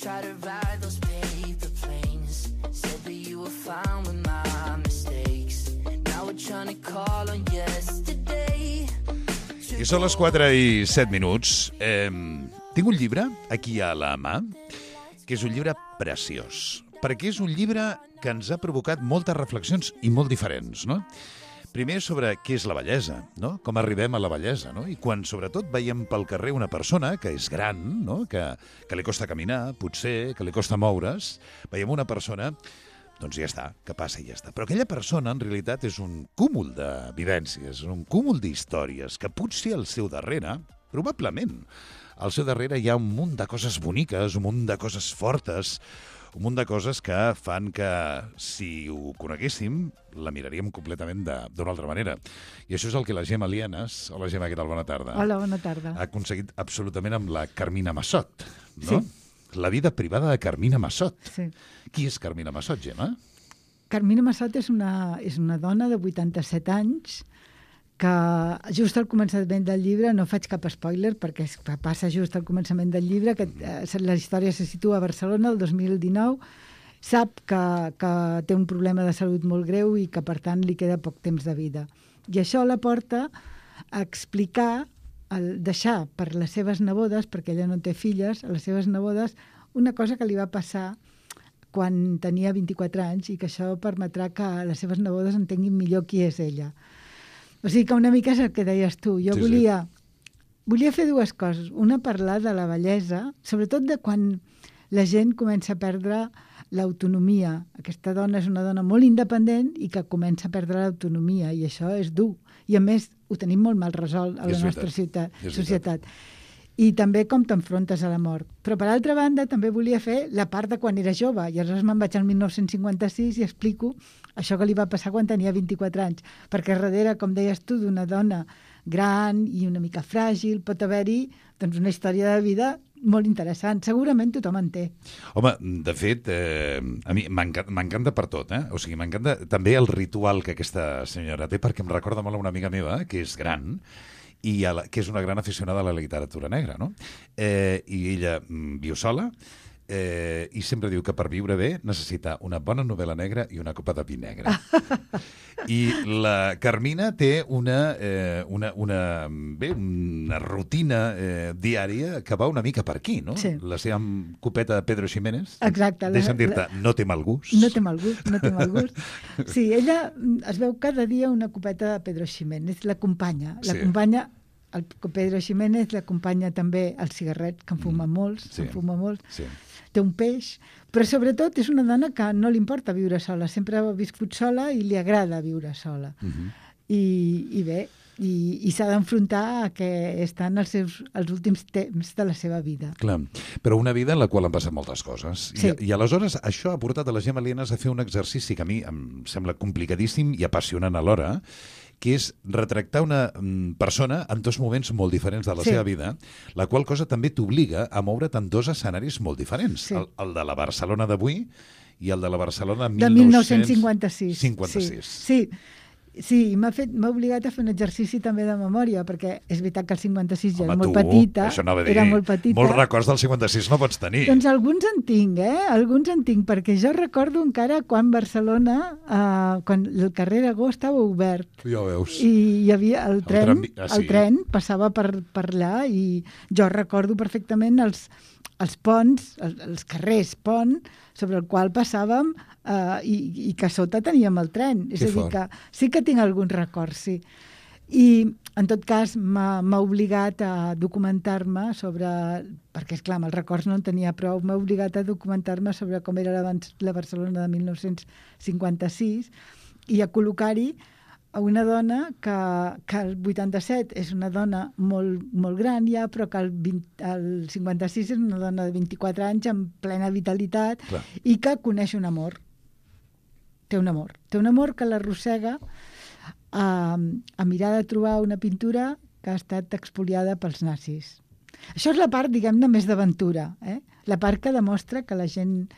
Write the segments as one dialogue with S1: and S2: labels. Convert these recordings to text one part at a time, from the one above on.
S1: Try to ride those paper planes. Said that you were fine with my mistakes. Now we're trying to call on yesterday.
S2: I són les 4:07. Tinc un llibre aquí a la mà, que és un llibre preciós, perquè és un llibre que ens ha provocat moltes reflexions i molt diferents, no? Primer sobre què és la bellesa, no? Com arribem a la bellesa, no? I quan, sobretot, veiem pel carrer una persona que és gran, no? Que li costa caminar, potser, que li costa moure's, veiem una persona, doncs ja està, que passa i ja està. Però aquella persona, en realitat, és un cúmul de vivències, un cúmul d'històries, que potser al seu darrere, probablement, al seu darrere hi ha un munt de coses boniques, un munt de coses fortes, un munt de coses que fan que, si ho coneguéssim, la miraríem completament d'una altra manera. I això és el que la Gemma Lienas, hola Gemma, què tal? Bona tarda.
S3: Hola, bona tarda.
S2: Ha aconseguit absolutament amb la Carmina Massot, no?
S3: Sí.
S2: La vida privada de Carmina Massot.
S3: Sí.
S2: Qui és Carmina Massot, Gemma?
S3: Carmina Massot és una dona de 87 anys que just al començament del llibre, no faig cap spoiler perquè passa just al començament del llibre, que la història se situa a Barcelona el 2019, sap que té un problema de salut molt greu i que per tant li queda poc temps de vida. I això la porta a explicar, a deixar per les seves nebodes, perquè ella no té filles, a les seves nebodes, una cosa que li va passar quan tenia 24 anys i que això permetrà que les seves nebodes entenguin millor qui és ella. O sigui que una mica és el que deies tu. Jo volia fer dues coses. Una, parlar de la bellesa, sobretot de quan la gent comença a perdre l'autonomia. Aquesta dona és una dona molt independent i que comença a perdre l'autonomia, i això és dur. I a més, ho tenim molt mal resolt a la nostra societat. I també com t'enfrontes a la mort. Però, per altra banda, també volia fer la part de quan era jove. I aleshores me'n vaig al 1956 i explico això que li va passar quan tenia 24 anys. Perquè darrere, com deies tu, d'una dona gran i una mica fràgil, pot haver-hi doncs, una història de vida molt interessant. Segurament tothom en té.
S2: Home, de fet, a mi m'encanta per tot, eh? O sigui, m'encanta també el ritual que aquesta senyora té, perquè em recorda molt a una amiga meva, que és gran, i que és una gran aficionada a la literatura negra, no? I ella viu sola i sempre diu que per viure bé necessita una bona novel·la negra i una copa de vi negre. I la Carmina té una rutina diària que va una mica per aquí, no?
S3: Sí.
S2: La seva copeta de Pedro Ximénez.
S3: Exacte.
S2: Deixa'm dir-te, no té mal gust.
S3: No té mal gust. Sí, ella es veu cada dia una copeta de Pedro Ximénez, l'acompanya. El Pedro Ximénez l'acompanya també el cigarret, que en fuma molts,
S2: Sí.
S3: Té un peix, però sobretot és una dona que no li importa viure sola, sempre ha viscut sola i li agrada viure sola. I bé, i s'ha d'enfrontar a que estan els últims temps de la seva vida.
S2: Clar, però una vida en la qual han passat moltes coses.
S3: Sí.
S2: I aleshores això ha portat a la Gemma Lienas a fer un exercici que a mi em sembla complicadíssim i apassionant alhora, que és retractar una persona en dos moments molt diferents de la seva vida, la qual cosa també t'obliga a moure't en dos escenaris molt diferents.
S3: Sí.
S2: El de la Barcelona d'avui i el de la Barcelona
S3: de 1956.
S2: 56.
S3: Sí, m'ha obligat a fer un exercici també de memòria, perquè és veritat que el 56 ja era molt
S2: petita.
S3: Era molt petita.
S2: Molts records del 56 no pots tenir.
S3: Doncs alguns en tinc, perquè jo recordo encara quan Barcelona, quan el carrer Aragó estava obert.
S2: Ja ho veus.
S3: I hi havia el tren passava per allà, i jo recordo perfectament els ponts, els carrers pont, sobre el qual passàvem i que a sota teníem el tren. És a dir, que sí que tinc alguns records, sí. I, en tot cas, m'ha obligat a documentar-me sobre... Perquè, esclar, amb els records no en tenia prou. M'ha obligat a documentar-me sobre com era la Barcelona de 1956 i a col·locar-hi a una dona que el 87 és una dona molt, molt gran ja, però que el 56 és una dona de 24 anys amb plena vitalitat.
S2: Clar.
S3: I que coneix un amor. Té un amor que l'arrossega a mirar de trobar una pintura que ha estat expoliada pels nazis. Això és la part, diguem-ne, més d'aventura, la part que demostra que la gent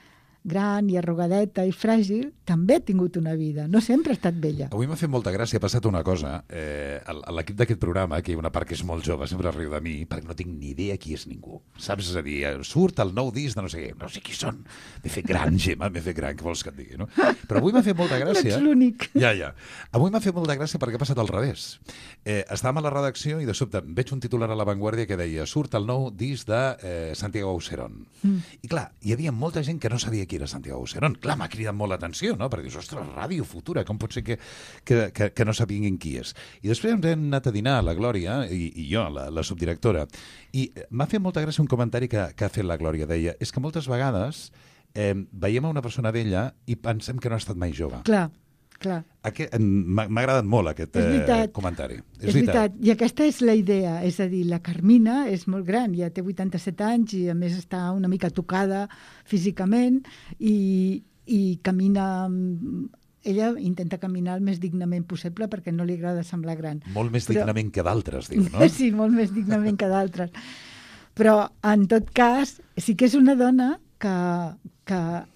S3: gran i arrugadeta i fràgil, també ha tingut una vida. No sempre ha estat vella.
S2: Avui m'ha fet molta gràcia, ha passat una cosa. A l'equip d'aquest programa, que hi ha una part que és molt jove, sempre riu de mi, perquè no tinc ni idea qui és ningú. Saps? És a dir, surt el nou disc de no sé què. No sé qui són. M'he fet gran, Gemma, m'he fet gran, què vols que et digui, no? Però avui m'ha fet molta gràcia.
S3: No ets l'únic.
S2: Ja. Avui m'ha fet molta gràcia perquè ha passat al revés. Estàvem a la redacció i de sobte veig un titular a La Vanguardia que deia surt el nou disc de Santiago Auserón. I clar, hi havia molta gent que no sabia qui era Santiago Auserón. Clar, m'ha cridat molt l'atenció, no? Perquè dius, ostres, Ràdio Futura, com pot ser que no sabien qui és? I després ens hem anat a dinar a la Glòria, i jo, la subdirectora, i m'ha fet molta gràcia un comentari que ha fet la Glòria. Deia, és que moltes vegades veiem a una persona vella i pensem que no ha estat mai jove.
S3: Clar.
S2: M'ha agradat molt aquest comentari.
S3: És veritat. I aquesta és la idea. És a dir, la Carmina és molt gran, ja té 87 anys i a més està una mica tocada físicament i camina... Ella intenta caminar el més dignament possible perquè no li agrada semblar gran.
S2: Molt més dignament que d'altres, diu, no?
S3: Sí, molt més dignament que d'altres. Però, en tot cas, sí que és una dona que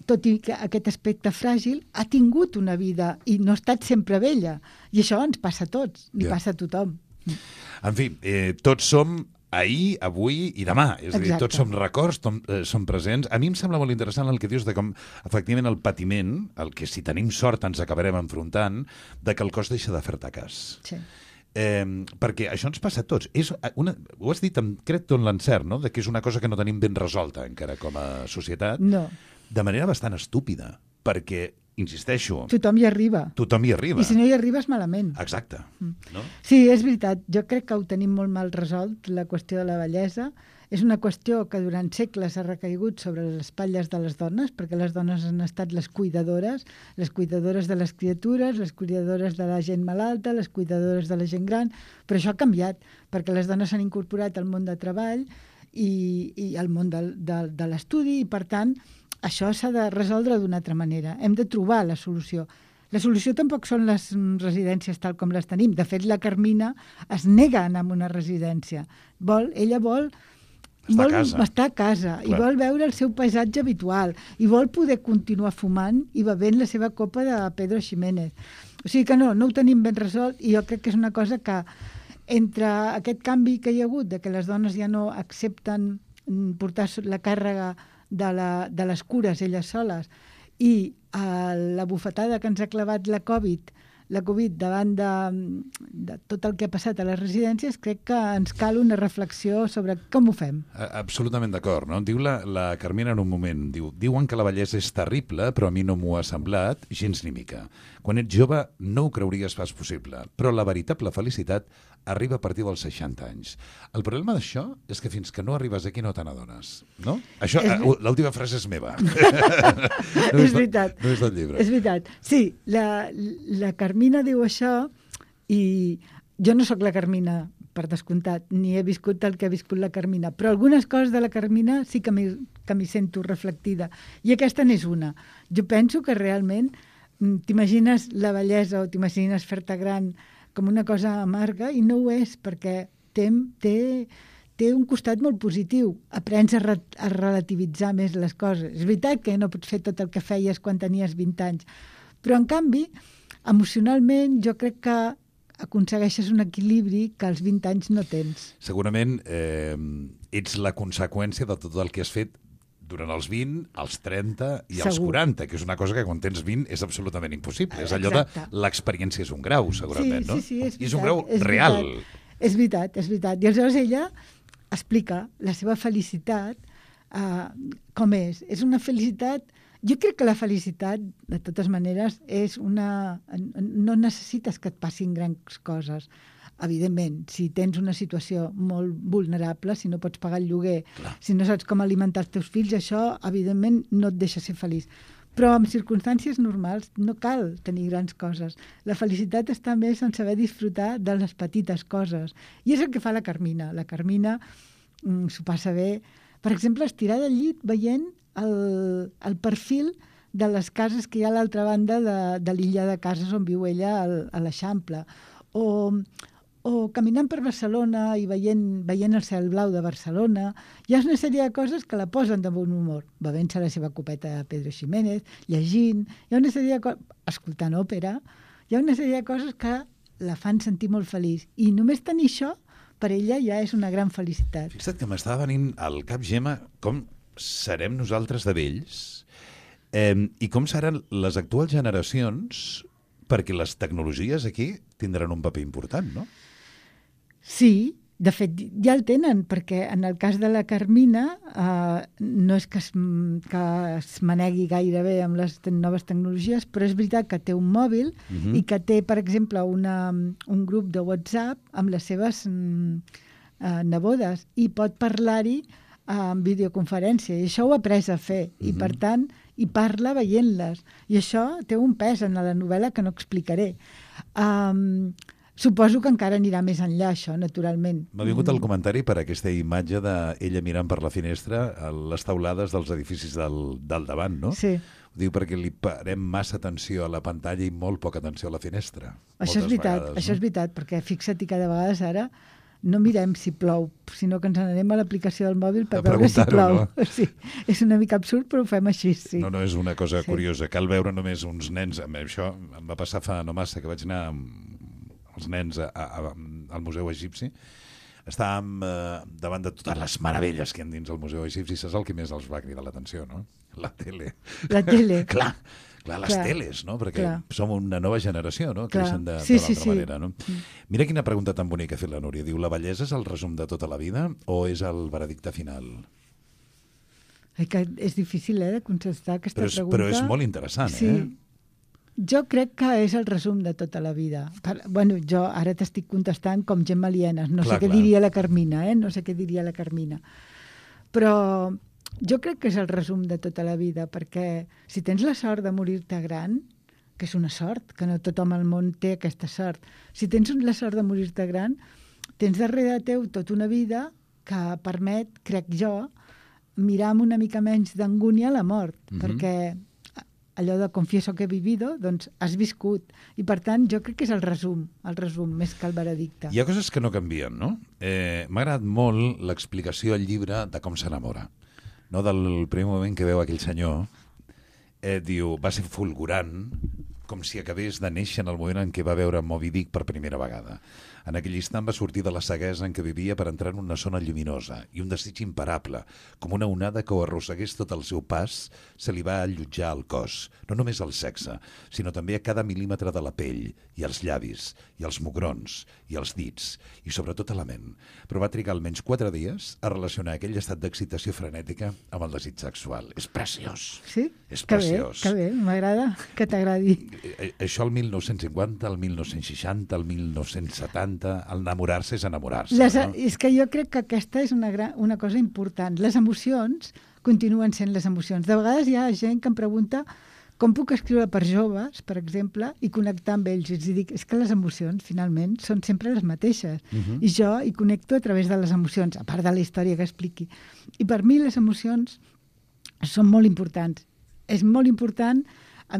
S3: tot i que aquest aspecte fràgil, ha tingut una vida i no ha estat sempre vella. I això ens passa a tots, li passa a tothom.
S2: En fi, tots som ahir, avui i demà. És a dir, tots som records, som presents. A mi em sembla molt interessant el que dius de com, efectivament, el patiment, el que si tenim sort ens acabarem enfrontant, de que el cos deixa de fer-te cas.
S3: Sí.
S2: Perquè això ens passa a tots. Ho has dit amb crec tot l'encert, no? De que és una cosa que no tenim ben resolta encara com a societat.
S3: No.
S2: De manera bastant estúpida, perquè, insisteixo...
S3: Tothom hi arriba. I si no hi arribes, malament.
S2: Exacte. No?
S3: Sí, és veritat. Jo crec que ho tenim molt mal resolt, la qüestió de la bellesa. És una qüestió que durant segles ha recaigut sobre les espatlles de les dones, perquè les dones han estat les cuidadores de les criatures, les cuidadores de la gent malalta, les cuidadores de la gent gran, però això ha canviat, perquè les dones s'han incorporat al món de treball i al món de l'estudi, i per tant, això s'ha de resoldre d'una altra manera. Hem de trobar la solució. La solució tampoc són les residències tal com les tenim. De fet, la Carmina es nega a anar a una residència. Ella vol estar a casa i vol veure el seu paisatge habitual i vol poder continuar fumant i bevent la seva copa de Pedro Ximénez. O sigui que no ho tenim ben resolt i jo crec que és una cosa que entre aquest canvi que hi ha hagut de que les dones ja no accepten portar la càrrega de les cures elles soles i la bufetada que ens ha clavat la Covid davant de tot el que ha passat a les residències, crec que ens cal una reflexió sobre com ho fem.
S2: Absolutament d'acord, no? Diu la Carmina en un moment, diuen que la bellesa és terrible, però a mi no m'ho ha semblat gens ni mica. Quan ets jove no ho creuries pas possible, però la veritable felicitat arriba a partir dels 60 anys. El problema d'això és que fins que no arribes aquí no te n'adones, no? Això, l'última frase és meva.
S3: És veritat.
S2: No és del llibre.
S3: És veritat. Sí, la Carmina diu això i jo no sóc la Carmina, per descomptat, ni he viscut el que ha viscut la Carmina, però algunes coses de la Carmina sí que m'hi sento reflectida. I aquesta n'és una. Jo penso que realment t'imagines la bellesa o t'imagines fer-te gran com una cosa amarga i no ho és, perquè té un costat molt positiu. Aprens a relativitzar més les coses. És veritat que no pots fer tot el que feies quan tenies 20 anys, però en canvi, emocionalment, jo crec que aconsegueixes un equilibri que als 20 anys no tens.
S2: Segurament ets la conseqüència de tot el que has fet durant els 20, els 30 i els 40, que és una cosa que quan tens 20 és absolutament impossible. És allò de l'experiència és un grau, segurament, no?
S3: Sí, és veritat.
S2: I és un grau real.
S3: És veritat. I aleshores ella explica la seva felicitat com és. És una felicitat... Jo crec que la felicitat, de totes maneres, és una... No necessites que et passin grans coses. Evidentment, si tens una situació molt vulnerable, si no pots pagar el lloguer, si no saps com alimentar els teus fills, això, evidentment, no et deixa ser feliç. Però en circumstàncies normals no cal tenir grans coses. La felicitat està més en saber disfrutar de les petites coses. I és el que fa la Carmina. La Carmina s'ho passa bé. Per exemple, estirar del llit veient el perfil de les cases que hi ha a l'altra banda de l'illa de cases on viu ella a l'Eixample. O o caminant per Barcelona i veient el cel blau de Barcelona. Hi ha una sèrie de coses que la posen de bon humor. Bevent-se la seva copeta de Pedro Ximénez, llegint, hi ha una sèrie de coses, escoltant òpera, hi ha una sèrie de coses que la fan sentir molt feliç. I només tenir això, per ella ja és una gran felicitat.
S2: Fixa't que m'estava venint al cap, Gemma, com serem nosaltres de vells i com seran les actuals generacions, perquè les tecnologies aquí tindran un paper important, no?
S3: Sí, de fet, ja el tenen, perquè en el cas de la Carmina no és que es manegui gairebé amb les noves tecnologies, però és veritat que té un mòbil i que té, per exemple, un grup de WhatsApp amb les seves nebodes i pot parlar-hi en videoconferència, i això ho ha après a fer, i per tant, hi parla veient-les. I això té un pes en la novel·la que no explicaré. Suposo que encara anirà més enllà, això, naturalment.
S2: M'ha vingut el comentari per aquesta imatge d'ella mirant per la finestra a les taulades dels edificis del davant, no?
S3: Sí.
S2: Ho diu perquè li parem massa atenció a la pantalla i molt poca atenció a la finestra.
S3: Això és veritat, això és veritat, perquè fixa't que de vegades ara no mirem si plou, sinó que ens n'anem a l'aplicació del mòbil per veure si plou. No? Sí, és una mica absurd, però ho fem així, sí.
S2: No, és una cosa curiosa. Cal veure només uns nens... Això em va passar fa no massa, que vaig anar amb els nens al Museu Egipci. Estàvem davant de totes les meravelles que hi ha dins el Museu Egipci. Saps el que més els va cridar l'atenció, no? La tele.
S3: La tele.
S2: Clar, les teles, no? Perquè som una nova generació, no? Creixen de l'altra manera, no? Mira quina pregunta tan bonica ha fet la Núria. Diu, la bellesa és el resum de tota la vida o és el veredicte final?
S3: Que és difícil, de contestar aquesta pregunta.
S2: Però és molt interessant,
S3: sí. Jo crec que és el resum de tota la vida. Bueno, jo ara t'estic contestant com Gemma Lienas. No sé què diria la Carmina, no sé què diria la Carmina. Però jo crec que és el resum de tota la vida, perquè si tens la sort de morir-te gran, que és una sort, que no tothom al món té aquesta sort, si tens la sort de morir-te gran, tens darrere teu tota una vida que permet, crec jo, mirar amb una mica menys d'angúnia la mort, perquè allò de confieso que he vivido, doncs has viscut. I per tant, jo crec que és el resum, més que el veredicte.
S2: Hi ha coses que no canvien, no? M'ha agradat molt l'explicació al llibre de com s'enamora. No, del primer moment que veu aquell senyor, diu, va ser fulgurant, com si acabés de néixer en el moment en què va veure Moby Dick per primera vegada. En aquell instant va sortir de la ceguesa en què vivia per entrar en una zona lluminosa i un desig imparable, com una onada que ho arrossegués tot el seu pas, se li va allotjar al cos, no només al sexe, sinó també a cada mil·límetre de la pell, i als llavis, i als mugrons, i als dits, i sobretot a la ment. Però va trigar almenys 4 dies a relacionar aquell estat d'excitació frenètica amb el desig sexual. És preciós.
S3: Sí?
S2: És preciós.
S3: Que bé, m'agrada que t'agradi.
S2: Això el 1950, el 1960, el 1970, el enamorar-se és enamorar-se. No?
S3: És que jo crec que aquesta és una cosa important. Les emocions continuen sent les emocions. De vegades hi ha gent que em pregunta com puc escriure per joves, per exemple, i connectar amb ells. I dic, és que les emocions, finalment, són sempre les mateixes. I jo hi connecto a través de les emocions, a part de la història que expliqui. I per mi les emocions són molt importants. És molt important.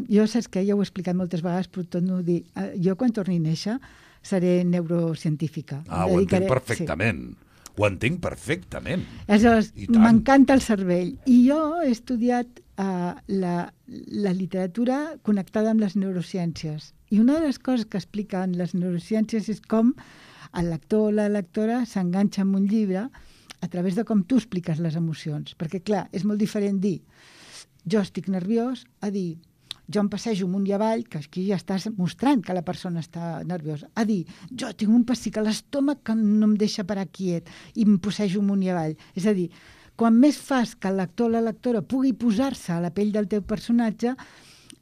S3: Jo saps què? Ja ho he explicat moltes vegades, però torno a dir. Jo, quan torni a néixer, seré neurocientífica.
S2: Ho entenc perfectament. Sí. Ho entenc perfectament.
S3: Aleshores, m'encanta el cervell. I jo he estudiat la literatura connectada amb les neurociències. I una de les coses que expliquen les neurociències és com el lector o la lectora s'enganxa amb un llibre a través de com tu expliques les emocions. Perquè, clar, és molt diferent dir jo estic nerviós a dir jo em passejo amunt i avall, que aquí ja estàs mostrant que la persona està nerviosa, a dir, jo tinc un pessic a l'estómac que no em deixa parar quiet i em passejo amunt i avall. És a dir, quan més fas que el lector o la lectora pugui posar-se a la pell del teu personatge,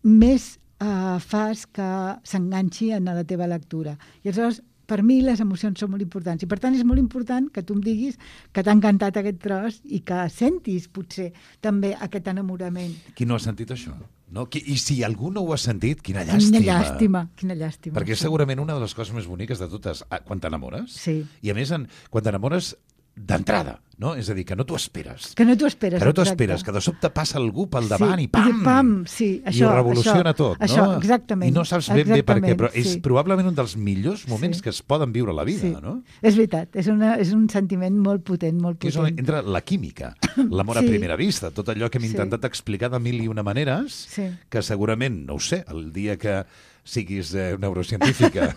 S3: més fas que s'enganxi en la teva lectura. I aleshores, per mi les emocions són molt importants i per tant és molt important que tu em diguis que t'ha encantat aquest tros i que sentis potser també aquest enamorament.
S2: Qui no ha sentit això? No? I si algú no ho ha sentit, quina llàstima.
S3: Quina llàstima.
S2: Perquè és segurament una de les coses més boniques de totes quan t'enamores.
S3: Sí.
S2: I a més, quan t'enamores d'entrada, no? És a dir, que no t'ho esperes.
S3: Que no t'ho esperes,
S2: Que no t'ho
S3: exacte.
S2: esperes, que de sobte passa algú pel davant i
S3: Sí,
S2: pam!
S3: pam, sí, això,
S2: I ho revoluciona tot, no?
S3: Això, exactament.
S2: I no saps ben bé per què, però és
S3: sí.
S2: probablement un dels millors moments
S3: Sí.
S2: que es poden viure a la vida,
S3: Sí.
S2: no?
S3: És veritat, és un sentiment molt potent, molt
S2: Que és on
S3: potent.
S2: entra la química, l'amor a
S3: Sí.
S2: primera vista, tot allò que hem
S3: Sí.
S2: intentat explicar de mil i una maneres,
S3: Sí.
S2: que segurament, no ho sé, el dia que siguis neurocientífica,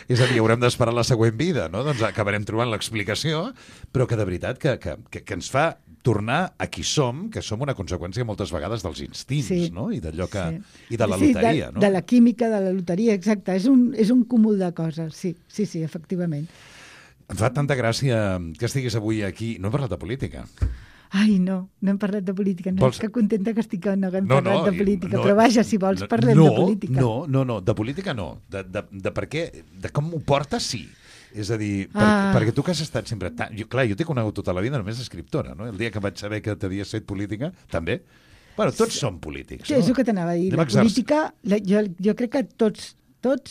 S2: és a dir, haurem d'esperar la següent vida, no? Doncs acabarem trobant l'explicació, però que de veritat que ens fa tornar a qui som, que som una conseqüència moltes vegades dels instints,
S3: Sí.
S2: no? I d'allò que...
S3: Sí.
S2: I de la
S3: Sí,
S2: loteria, no?
S3: De la química, de la loteria, exacte. És un cúmul de coses, sí, efectivament.
S2: Em fa tanta gràcia que estiguis avui aquí. No hem parlat de política.
S3: Ai, no hem parlat de política. No,
S2: Vols-
S3: que contenta que estic que no haguem parlat de política. Però vaja, si vols,
S2: no,
S3: parlem de política.
S2: No, de política no. De per què, de com m'ho portes, sí. És a dir,
S3: Ah.
S2: perquè tu que has estat sempre... Jo t'he conegut tota la vida només escriptora, no? El dia que vaig saber que t'havies fet política, també. Bueno, tots som polítics,
S3: Sí,
S2: no?
S3: és el que t'anava a dir.
S2: Anem
S3: La
S2: a exercir.
S3: política, jo crec que tots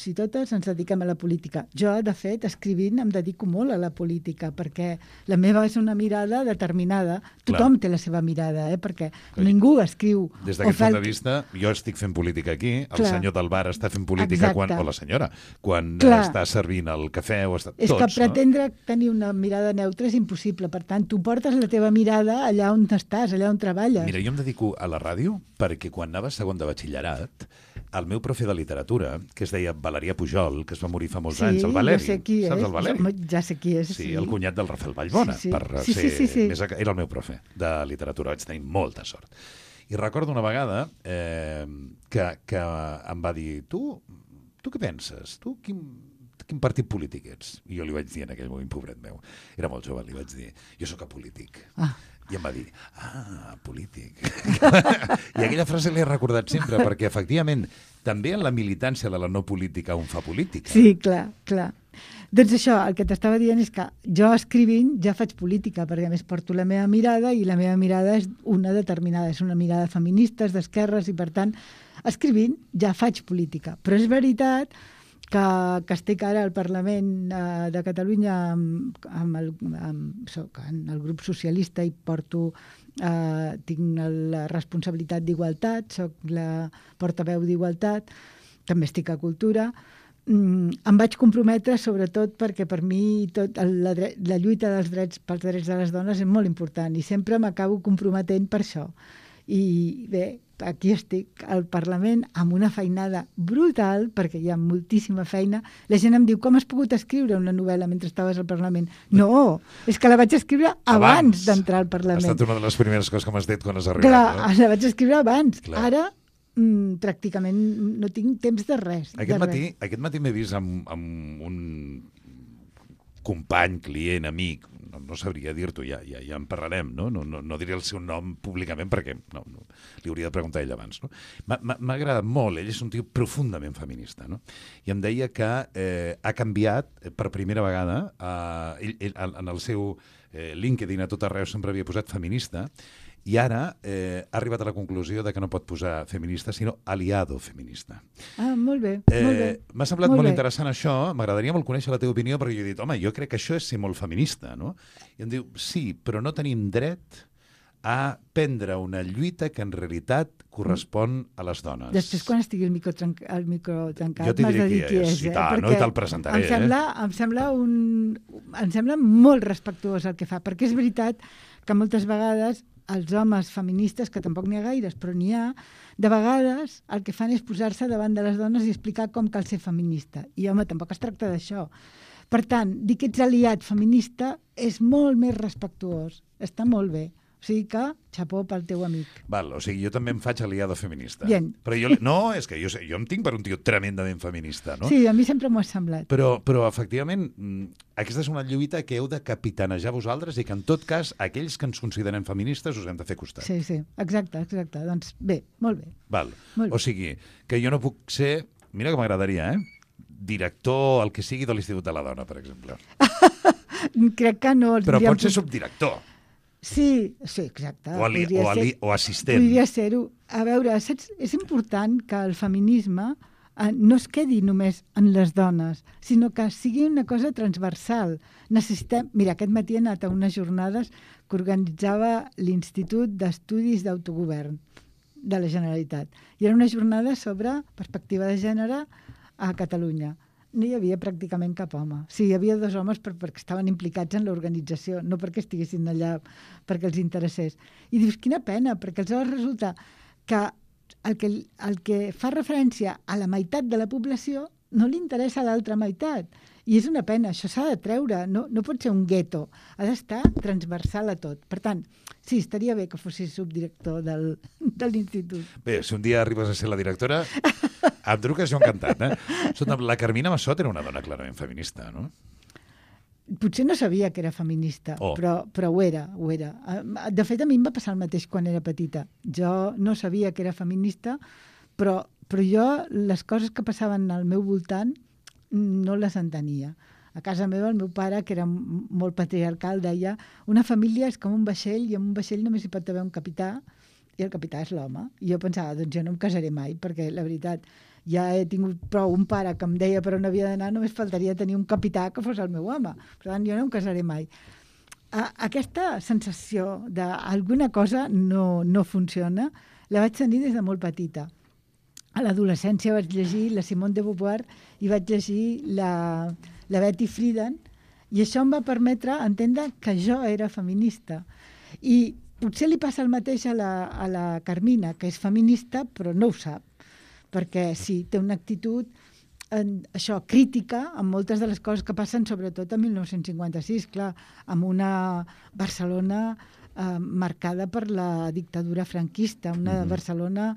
S3: i totes ens dediquem a la política. Jo, de fet, escrivint em dedico molt a la política, perquè la meva és una mirada determinada. Tothom té la seva mirada, perquè ningú escriu...
S2: Des d'aquest punt de vista, jo estic fent política aquí, el
S3: Clar.
S2: senyor del bar està fent política
S3: Exacte.
S2: o la senyora, quan
S3: Clar.
S2: està servint el cafè o està...
S3: És
S2: tots,
S3: que pretendre tenir una mirada neutra és impossible. Per tant, tu portes la teva mirada allà on estàs, allà on treballes.
S2: Mira, jo em dedico a la ràdio perquè quan anava a segon de batxillerat, el meu profe de literatura, que es deia Valerià Pujol, que es va morir fa molts anys, el Valeri.
S3: jo sé qui és.
S2: Saps el Valeri?
S3: Ja sé qui és,
S2: Sí, el cunyat del Rafael Vallbona.
S3: Sí.
S2: Per
S3: Sí,
S2: ser
S3: sí.
S2: Més... Era el meu profe de literatura, vaig tenir molta sort. I recordo una vegada que em va dir, tu què penses? Tu quin partit polític ets? I jo li vaig dir en aquell moment, pobret meu, era molt jove, li vaig dir, jo sóc apolític. I em va dir, polític. I aquella frase l'he recordat sempre, perquè efectivament també en la militància de la no política un fa política.
S3: Sí, clar. Doncs això, el que t'estava dient és que jo escrivint ja faig política, perquè a més porto la meva mirada i la meva mirada és una determinada, és una mirada feminista, és d'esquerres i per tant, escrivint ja faig política. Però és veritat que estic ara al Parlament de Catalunya soc en el grup socialista i tinc la responsabilitat d'igualtat, soc la portaveu d'igualtat, també estic a Cultura. Em vaig comprometre sobretot perquè per mi la lluita pels drets de les dones és molt important i sempre m'acabo comprometent per això. I bé, aquí estic al Parlament amb una feinada brutal, perquè hi ha moltíssima feina. La gent em diu, com has pogut escriure una novel·la mentre estaves al Parlament? No, és que la vaig escriure abans d'entrar al Parlament.
S2: Ha estat una de les primeres coses que m'has dit quan has arribat.
S3: Clar, la vaig escriure abans.
S2: Clar.
S3: Ara pràcticament no tinc temps de res.
S2: Aquest matí m'he vist amb un company, client, amic, no sabria dir-t'ho, ja en parlarem, no? No diré el seu nom públicament perquè li hauria de preguntar a ell abans. No? M'ha agradat molt, ell és un tio profundament feminista, no? I em deia que ha canviat per primera vegada, ell en el seu LinkedIn a tot arreu sempre havia posat feminista, i ara ha arribat a la conclusió de que no pot posar feminista, sinó aliado feminista.
S3: Molt bé, molt bé.
S2: M'ha semblat molt interessant això, m'agradaria molt conèixer la teva opinió, perquè jo he dit, home, jo crec que això és ser molt feminista, no? I em diu, sí, però no tenim dret a prendre una lluita que en realitat correspon a les dones.
S3: Després, quan estigui el micro tancat,
S2: jo t'hi
S3: m'has de dir qui és.
S2: I tant, no? I te'l presentaré.
S3: Em sembla molt respectuós el que fa, perquè és veritat que moltes vegades els homes feministes, que tampoc n'hi ha gaires, però n'hi ha, de vegades el que fan és posar-se davant de les dones i explicar com cal ser feminista. I, home, tampoc es tracta d'això. Per tant, dir que ets aliat feminista és molt més respectuós. Està molt bé. O sigui que, xapó pel teu amic.
S2: Val, o sigui, jo també em faig aliado feminista.
S3: Bien.
S2: Però és que jo em tinc per un tio tremendament feminista, no?
S3: Sí, a mi sempre m'ho ha semblat.
S2: Però efectivament, aquesta és una lluita que heu de capitanejar vosaltres i que, en tot cas, aquells que ens considerem feministes us hem de fer costat.
S3: Sí, exacte. Doncs bé, molt bé.
S2: Val.
S3: Molt bé.
S2: O sigui, que jo no puc ser... Mira que m'agradaria, director, el que sigui, de l'Institut de la Dona, per exemple.
S3: Crec que no...
S2: Però pot ser subdirector.
S3: Sí, exacte.
S2: O assistent.
S3: Podria ser-ho. A veure, saps? És important que el feminisme no es quedi només en les dones, sinó que sigui una cosa transversal. Necessitem... Mira, aquest matí he anat a unes jornades que organitzava l'Institut d'Estudis d'Autogovern de la Generalitat. I era una jornada sobre perspectiva de gènere a Catalunya. No hi havia pràcticament cap home. Sí, hi havia 2 homes perquè estaven implicats en l'organització, no perquè estiguessin allà perquè els interessés. I dius, quina pena, perquè aleshores resulta que el que fa referència a la meitat de la població no li interessa a l'altra meitat. I és una pena, això s'ha de treure, no pot ser un gueto, ha d'estar transversal a tot. Per tant, sí, estaria bé que fossis subdirector de l'institut.
S2: Bé, si un dia arribes a ser la directora, em truques jo encantat, Escolta, la Carmina Massot era una dona clarament feminista, no?
S3: Potser no sabia que era feminista, però ho era. De fet, a mi em va passar el mateix quan era petita. Jo no sabia que era feminista, però jo les coses que passaven al meu voltant no les entenia. A casa meva el meu pare, que era molt patriarcal, deia una família és com un vaixell i en un vaixell només hi pot haver un capità i el capità és l'home. I jo pensava, doncs jo no em casaré mai, perquè la veritat ja he tingut prou un pare que em deia per on havia d'anar, només faltaria tenir un capità que fos el meu home. Per tant, jo no em casaré mai. Aquesta sensació d'alguna cosa no funciona la vaig tenir des de molt petita. A l'adolescència vaig llegir la Simone de Beauvoir i vaig llegir la Betty Friedan i això em va permetre entendre que jo era feminista. I potser li passa el mateix a la Carmina, que és feminista però no ho sap, perquè sí, té una actitud crítica amb moltes de les coses que passen, sobretot a 1956, clar, amb una Barcelona marcada per la dictadura franquista, una Barcelona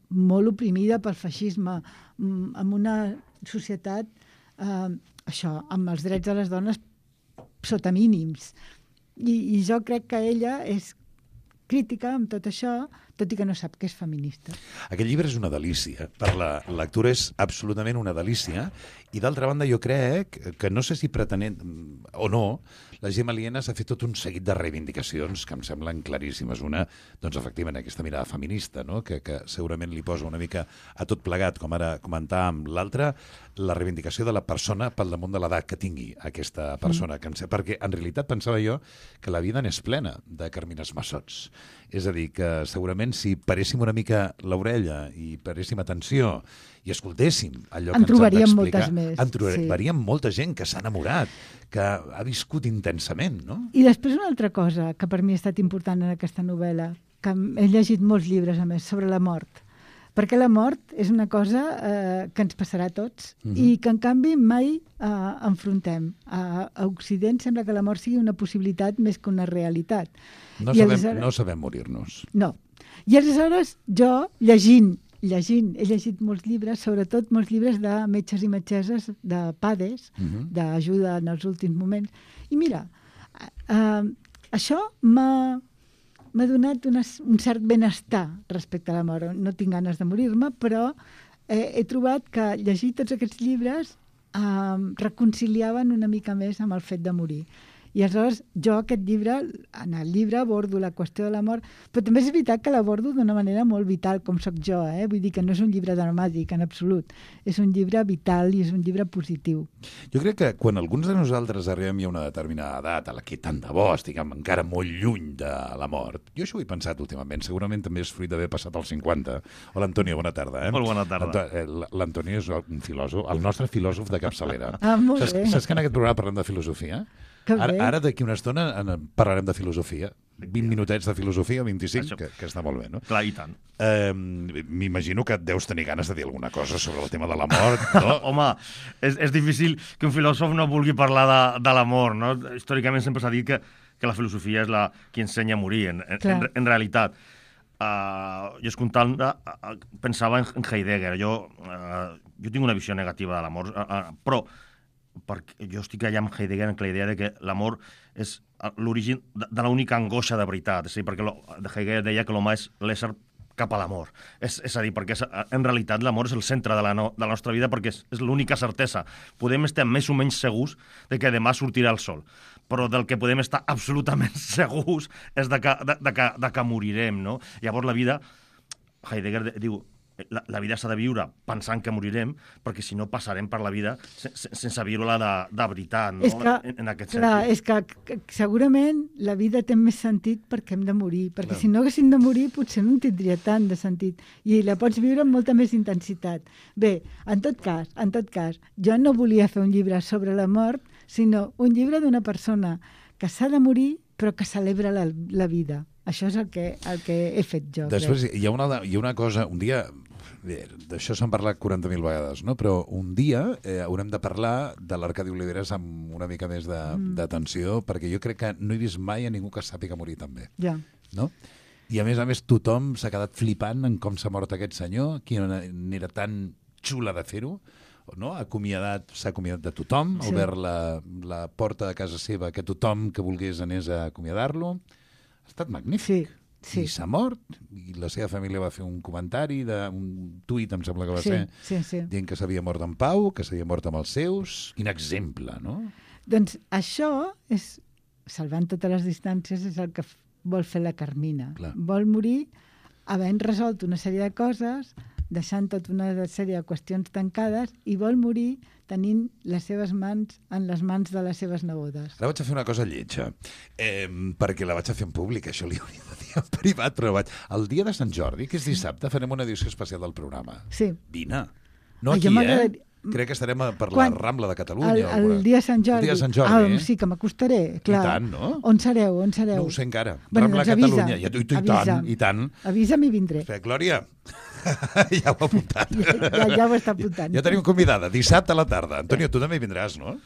S3: molt oprimida pel feixisme, amb una societat amb els drets de les dones sota mínims. I jo crec que ella és crítica amb tot això, tot i que no sap que és feminista.
S2: Aquest llibre és una delícia. Per la lectura és absolutament una delícia. I d'altra banda, jo crec que no sé si pretenent o no, la Gemma Lienas ha fet tot un seguit de reivindicacions que em semblen claríssimes. Una, doncs, efectivament, aquesta mirada feminista, no? que segurament li posa una mica a tot plegat, com ara comentàvem. L'altra, la reivindicació de la persona pel damunt de l'edat que tingui aquesta persona. Perquè, en realitat, pensava jo que la vida n'és plena de Carmines Massots. És a dir, que segurament si paréssim una mica l'orella i paréssim atenció i escoltéssim allò que ens han d'explicar, en trobaríem molta gent que s'ha enamorat, que ha viscut intensament, no?
S3: I després una altra cosa que per mi ha estat important en aquesta novel·la, que he llegit molts llibres, a més, sobre la mort. Perquè la mort és una cosa que ens passarà a tots i que, en canvi, mai enfrontem. A Occident sembla que la mort sigui una possibilitat més que una realitat.
S2: No sabem morir-nos.
S3: No. I aleshores jo, llegint, he llegit molts llibres, sobretot molts llibres de metges i metgesses, de PADES, d'ajuda en els últims moments. I mira, això m'ha donat un cert benestar respecte a la mort. No tinc ganes de morir-me, però he trobat que llegir tots aquests llibres reconciliaven una mica més amb el fet de morir. I aleshores jo aquest llibre, en el llibre abordo la qüestió de la mort, però també és veritat que l'abordo d'una manera molt vital, com sóc jo, Vull dir que no és un llibre dramàtic, en absolut. És un llibre vital i és un llibre positiu.
S2: Jo crec que quan alguns de nosaltres arribem a una determinada edat, a la que tant de bo estiguem encara molt lluny de la mort, jo això ho he pensat últimament, segurament també és fruit d'haver passat als 50. Hola, Antonio, bona tarda.
S4: Molt bona tarda.
S2: L'Antonio és un filòsof, el nostre filòsof de capçalera.
S3: Molt bé.
S2: Saps que en aquest programa parlem de filosofia? Ara d'aquí una estona parlarem de filosofia. 20 minutets de filosofia, 25, que està molt bé, no?
S4: Clar, i tant.
S2: M'imagino que et deus tenir ganes de dir alguna cosa sobre el tema de la mort, no?
S4: Home, és difícil que un filòsof no vulgui parlar de la mort, no? Històricament sempre s'ha dit que la filosofia és la que ensenya a morir, en realitat. Jo escoltant pensava en Heidegger. Jo tinc una visió negativa de la mort, però perquè jo estic allà amb Heidegger en la idea de que l'amor és l'origen de l'única angoixa de veritat. És a dir, perquè Heidegger deia que l'home és l'ésser cap a l'amor. És a dir, perquè en realitat l'amor és el centre de la nostra vida perquè és l'única certesa. Podem estar més o menys segurs de que demà sortirà el sol, però del que podem estar absolutament segurs és de que morirem, no? Llavors la vida, Heidegger diu, la vida s'ha de viure pensant que morirem, perquè si no passarem per la vida sense viure-la de veritat, no?
S3: És que,
S4: en aquest
S3: clar,
S4: sentit.
S3: és que segurament la vida té més sentit perquè hem de morir, perquè si no haguéssim de morir potser no en tindria tant de sentit, i la pots viure amb molta més intensitat. Bé, en tot cas, jo no volia fer un llibre sobre la mort, sinó un llibre d'una persona que s'ha de morir però que celebra la vida. Això és el que he fet jo.
S2: Després hi ha una cosa, un dia, d'això s'han parlat 40.000 vegades, no? Però un dia haurem de parlar de l'Arcadi Oliveres amb una mica més d'atenció, perquè jo crec que no he vist mai a ningú que sàpiga morir tan bé.
S3: Ja.
S2: No? I a més, tothom s'ha quedat flipant en com s'ha mort aquest senyor, quina era tan xula de fer-ho, no? S'ha acomiadat de tothom, ha obert la porta de casa seva que tothom que volgués anés a acomiadar-lo. Ha estat magnífic.
S3: Sí.
S2: I s'ha mort, i la seva família va fer un comentari, un tuit, em sembla que va ser, dient que s'havia mort en pau, que s'havia mort amb els seus. Quin exemple, no?
S3: Doncs això és, salvant totes les distàncies, és el que vol fer la Carmina.
S2: Clar.
S3: Vol morir havent resolt una sèrie de coses, deixant tota una sèrie de qüestions tancades, i vol morir tenint les seves mans en les mans de les seves nebodes.
S2: Ara vaig a fer una cosa lletja, perquè la vaig a fer en públic, això li hauria de dir en privat, però el dia de Sant Jordi, que és dissabte, farem una edició especial del programa.
S3: Sí.
S2: Vine. No aquí, Crec que estarem per la Rambla de Catalunya.
S3: El dia de Sant Jordi.
S2: El dia de Sant Jordi,
S3: sí, que m'acostaré, clar.
S2: I tant, no?
S3: On sereu?
S2: No ho sé encara.
S3: Bueno,
S2: Rambla
S3: doncs
S2: Catalunya. I tant.
S3: Avisa'm i vindré.
S2: Espera, Glòria, ja ho he apuntat.
S3: Ja ho està apuntant.
S2: Ja tenim convidada, dissabte a la tarda. Antonio, tu també vindràs, no?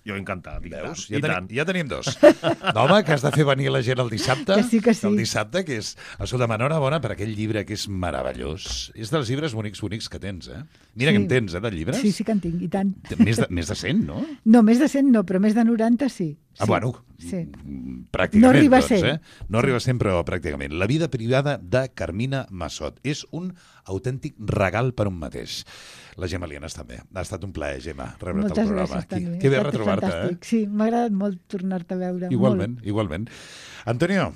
S4: Jo encantat.
S2: Veus? Ja tenim dos. No, home, que has de fer venir la gent el dissabte.
S3: Que sí.
S2: El dissabte, que és... Escolta, enhorabona per aquell llibre que és meravellós. És dels llibres bonics que tens, eh? Mira que en tens, de llibres.
S3: Sí que en tinc, i tant.
S2: Més de 100, no?
S3: No, més de 100 no, però més de 90 sí.
S2: Bueno,
S3: sí.
S2: Pràcticament.
S3: No arriba a 100.
S2: Doncs, No arriba a 100, però pràcticament. La vida privada de Carmina Massot. És un autèntic regal per un mateix. La Gemma Lienas també. Ha estat un plaer, Gemma, rebre't al programa.
S3: Moltes gràcies, Toni.
S2: Que bé retrobar-te,
S3: Sí, m'ha agradat molt tornar-te a veure.
S2: Igualment. Antonio,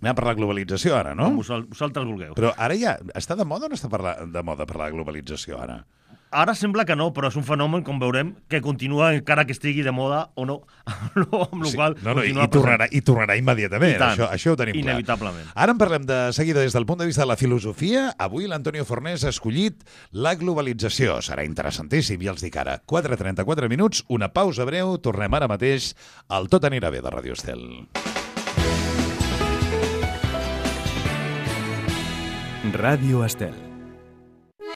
S2: anem a parlar de globalització ara, no?
S4: Com vosaltres vulgueu.
S2: Però ara ja està de moda o no està de moda parlar de globalització ara?
S4: Ara sembla que no, però és un fenomen, com veurem, que continua encara que estigui de moda o no, amb la qual cosa
S2: i tornarà immediatament. Això ho tenim clar.
S4: Inevitablement.
S2: Ara en parlem de seguida des del punt de vista de la filosofia. Avui l'Antonio Fornés ha escollit la globalització. Serà interessantíssim, ja els dic ara. 4:34 minuts, una pausa breu, tornem ara mateix al Tot anirà bé de Radio Estel.
S5: Ràdio Estel.